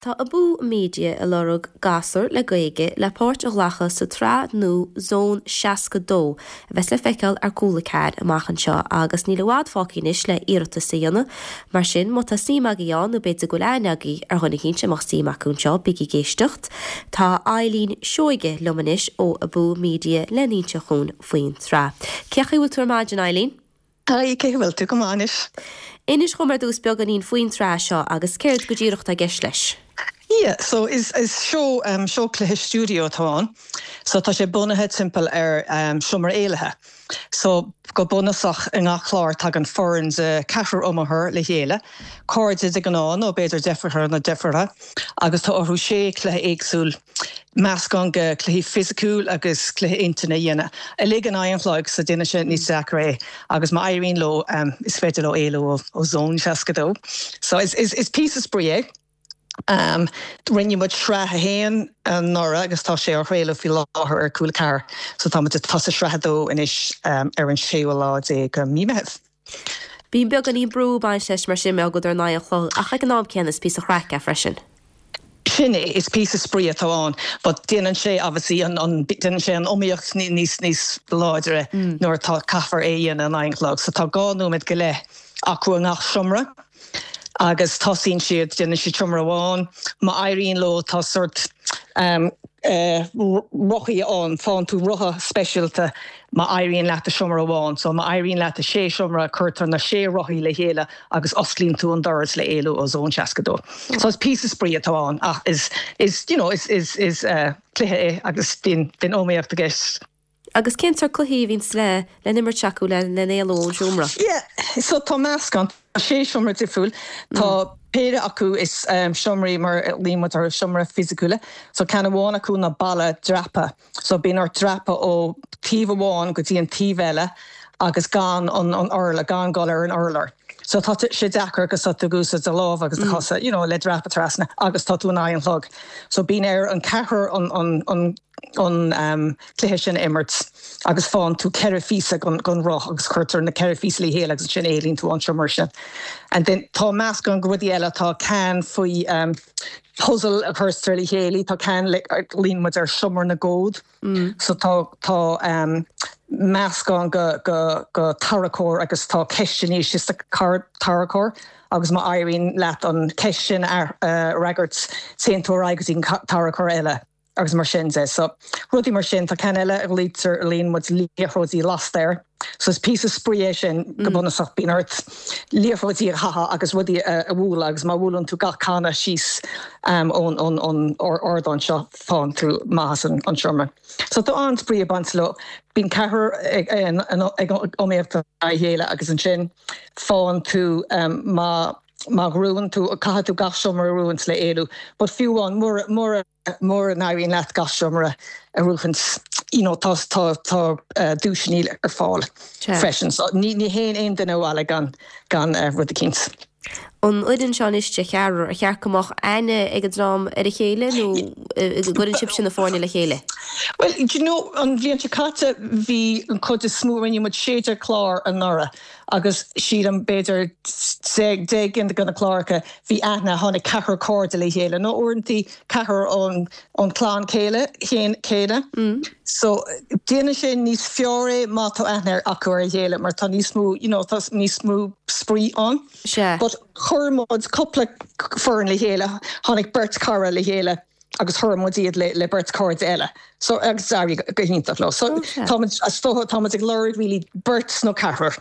Tá Abú Media ag lorg gasúr le Gaeilge le páirt a ghlacadh sa tsraith nua Zone 62 a bheas le feiceáil ar Cúla 4 amach anseo agus níl i bhfad fágtha anois le iarratas a dhéanamh. Mar sin, má tá suim agaibh ann nó b'fhéidir go bhfuil aithne agaibh ar dhuine eicínt a mbeadh suim acu anseo, bígí ag éisteacht. Tá Eileen Seoige liom anois ó Abú Media le n-inse dhúinn faoin tsraith. Cén chaoi a bhfuil tú ar maidin, Eileen? Hi, cén chaoi a bhfuil tú? Go maith anois. Inis dhom ar dtús beagáinín faoin tsraith seo agus céard go díreach atá i gceist leis. Yeah, so is is seó um seó cluiche stiúideo atá ann. So tá sé bunaithe timpeall ar um seomra éalaithe. So go bunúsach i ngach clár tagann foireann de ceathrar iomaitheoir le chéile, cairde de ghnáth nó b'fhéidir deirfiúracha nó deirfiúracha, agus tá orthu sé chluiche éagsúil, meascán de chluichí fisiciúil agus cluiche intinne a dhéanamh, uilig in aghaidh an chloig, so déanann sé níos deacra é agus má éiríonn leo is féidir leo éalú ó Zone 62. So is is píosa spraoi é. Rinne muid sraith a haon anuraidh agus tá sé á chraoladh faoi láthair ar Cúla 4, so tá muid ag tosú sraith a dó anois ar an séú lá déag de mhí Meitheamh. Bíonn beagáinín brú ag baint leis mar sin mar gheall ar in aghaidh an chloig ach ag an am céanna is píosa craic é freisin. Sin é, is píosa spraoi atá ann but déanann sé obviously an, an, déanann sé an iomaíocht níos, níos láidre nuair atá, caithfear é a dhéanamh in aghaidh an chloig. So tá dhá nóiméad go leith acu i ngach seomra agus tosaíonn siad, déanann siad seomra amháin, má éiríonn leo tá sórt rothaí ann, faigheann tú rotha speisialta má éiríonn leat i seomra amháin. So má éiríonn leat i sé seomra, cuirtear na sé rothaí le chéile agus osclaíonn tú an doras le éalú ó Zone 62. So is píosa spraoi atá ann ach is, is, you know, is, is, is cluiche é agus bíonn, bíonn iomaíocht i gceist. Agus cén sórt cluichí a bhíonns le le n-imirt acu le le n-éalú ón seomra? Yeah, so tá meascán, tá sé seomra difriúil, tá péire acu is seomraí mar a ghlaonn muid orthu, seomra fisiciúla, so ceann amháin acu ná balla dreaptha, so bíonn ort dreapadh ó taobh amháin go dtí an taobh eile agus gan an an urlár, gan dul ar an urlár. So tá sé deacair agus tá tú ag úsáid do lámha agus do chosa, you know, le dreapadh trasna agus tá tú in aghaidh an chlog. So bíonn ar an ceathrar an an an an cluiche sin a imirt agus faigheann tú ceithre phíosa den roth agus cuirtear na ceithre phíosa le chéile agus ansin éalaíonn tú ón seomra sin. And then tá meascán de rudaí eile, tá ceann faoi puzzle a chuirtear le chéile, tá ceann le glaonn muid air seomra na gcód so tá tá meascán de de de tarracóir agus tá ceisteanna istigh sa tarracóir agus má éiríonn leat an ceist sin a fhreagairt téann tú ar aghaidh go dtí an tarracóir eile. agus mar sin de. So, rudaí mar sin. Tá ceann eile a ghlaoitear, a ghlaonn muid liathróidí lasta air. So is píosa spraoi é sin go bunúsach. Bíonn ort liathróidí a chaitheamh agus rudaí a bhualadh agus má bhuaileann tú gach canna síos ón ón ardán seo faigheann tú amach as an seomra. So tá an-spraoi ag baint leo. Bíonn ceathrar ag iomaíocht a chéile agus ansin faigheann tú má Má ghnóthaíonn tú, caithfidh tú gach seomra a ghnóthaint le éalú. But fiú amháin mura, mura, mura n-éiríonn leat gach seomra a ghnóthaint, you know, tá, tá, tá duaiseanna ar fáil freisin. So ní, ní théann aon duine abhaile gan, gan rud eicínt. An fhoireann seo anois de cheathrar, ar cheart go mbeadh aithne ag an dream ar a chéile nó an gcuireann sibhse na foirne le chéile? Well, do you know, an bhliain seo caite bhí an chuid is mó, rinne muid 16 clár anuraidh agus sílim b'fhéidir 10 gcinn de na cláracha bhí aithne, tháinig ceathrar cairde le chéile nó uaireantaí ceathrar ón ón clann céile céanna. So déanann sé níos fearr é má tá aithne acu ar a chéile mar tá níos mó you know tá níos mó spraoi ann. Sea. But chuir muid cúpla foireann le chéile, tháinig beirt cara le chéile agus chuir muid iad le le beirt cairde eile. So agus d'éirigh go hiontach leo. So tá muid is dócha tá muid ag lorg really beirt nó ceathrar.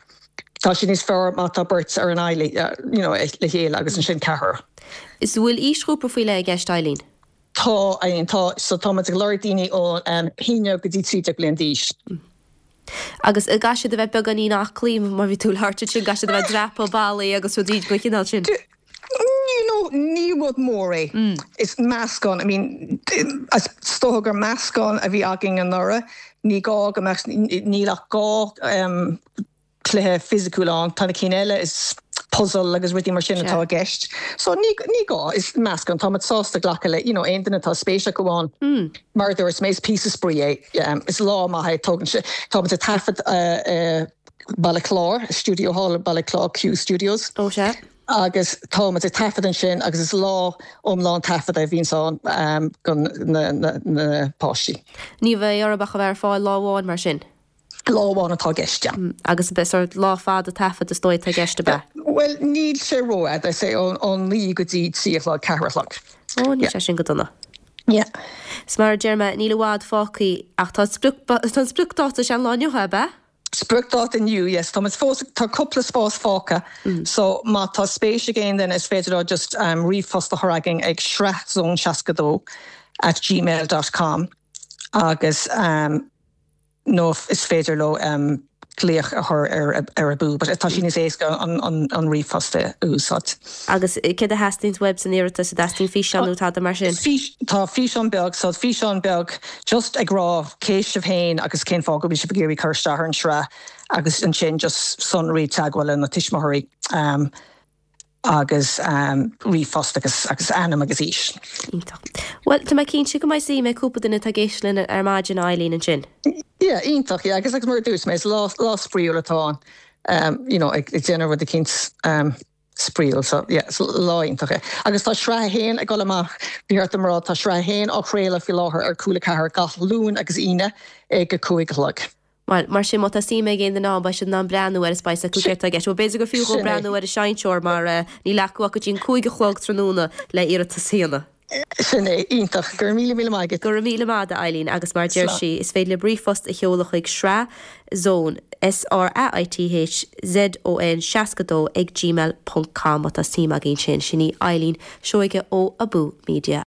Tá sé níos fearr má tá beirt ar an aghaidh you know le chéile agus ansin ceathrar. Is an bhfuil aoisghrúpa faoi leith i gceist Eileen? Tá, tá. So tá muid ag lorg daoine ó 11 go dtí 13 bliain d'aois. Agus an gcaithfidh siad a bheith beagáinín aclaí mar bhí tú ag labhairt ansin, caithfidh siad a bheith ag dreapadh ballaí agus rudaí den chineál sin? You know, ní rud mór é. Is meascán, I mean, is dócha gur meascán a bhí againn anuraidh. Ní gá go mbeadh, níl ach dhá cluiche fisiciúil ann. Tá na cinn eile, is puzzle agus rudaí mar sin atá i gceist. So ní, ní gá, is meascán. Tá muid sásta glacadh le, you know, aon duine atá spéis acu ann. Mar a dúirt mé, is píosa spraoi é. Is lá maith é, tógann sé, tá muid ag taifead i Baile Chláir, stiúideo thall i Baile Chláir, Q Studios. Ó sea. Agus tá muid ag taifead ansin agus is lá iomlán taifeadta a bhíonns ann do na páistí. Ní bheidh orthu ach a bheith ar fáil lá amháin mar sin? Lá amháin atá i gceist, yeah. Agus ab é sort lá fada taifead is dóigh atá i gceist, ab ea? Bhuel, níl sé rófhada, is é ó naoi go dtí trí a chlog, ceathair a chlog. Ó, níl sé sin go dona. Yeah. Is mar a deir mé, níl i bhfad fágtha ach tá an spriocdáta, sé an lá inniu é, ab ea? Spriocdáta inniu, yes. Tá muid fós, tá cúpla spás fágtha so má tá spéis ag aon duine is féidir leo just ríomhphost a chur againn ag sraithzone62 at gmail dot com agus nó is féidir leo glaoch a chur ar ar Abú but tá sé níos éasca an ríomhphost a úsáid. Agus céard a theastaíonns uaibh san iarratas? An dteastaíonn físeán nó tada mar sin? Tá físeán beag, so físeán beag just ag rá cé sibh féin agus cén fáth go bhfuil sibh ag iarraidh cur isteach ar an sraith agus ansin just sonraí teagmhála na tuismitheoirí agus ríomhphost agus agus ainm agus aois. Iontach. Bhuel, tá mé cinnte go mbeidh suim ag cúpla duine atá ag éisteacht linn ar maidin, a Eileen, ansin. Yeah, iontach, yeah, agus agus mar a dúirt mé, is lá lá spraíúil atá ann, you know, ag déanamh rud eicínt spraíúil, so yeah, is lá iontach é. Agus tá sraith a haon ag dul amach, ba cheart dom a rá, tá sraith a haon á chraoladh faoi láthair ar Cúla 4 gach Luan agus Aoine ag a cúig a chlog. Bhuel, mar sin, má tá suim ag aon duine ann, beidh siad in ann breathnú air is beidh a fhios acu céard atá i gceist. Bhuel, b'fhéidir gur fiú dhó breathnú ar an seinnteoir mar níl acu ach go dtí an cúig a chlog tráthnóna le iarratas a dhéanamh. Sin é. Iontach. Go raibh míle míle maith agat. Go raibh míle maith agat, a Eileen, agus mar a deir sí, is féidir libh ríomhphost a sheoladh chuig sraith zone, S-R-A-I-T-H Z-O-N 62 ag gmail ponc com má tá suim agaibh ansin. Sin í Eileen Seoige ó Abú Media.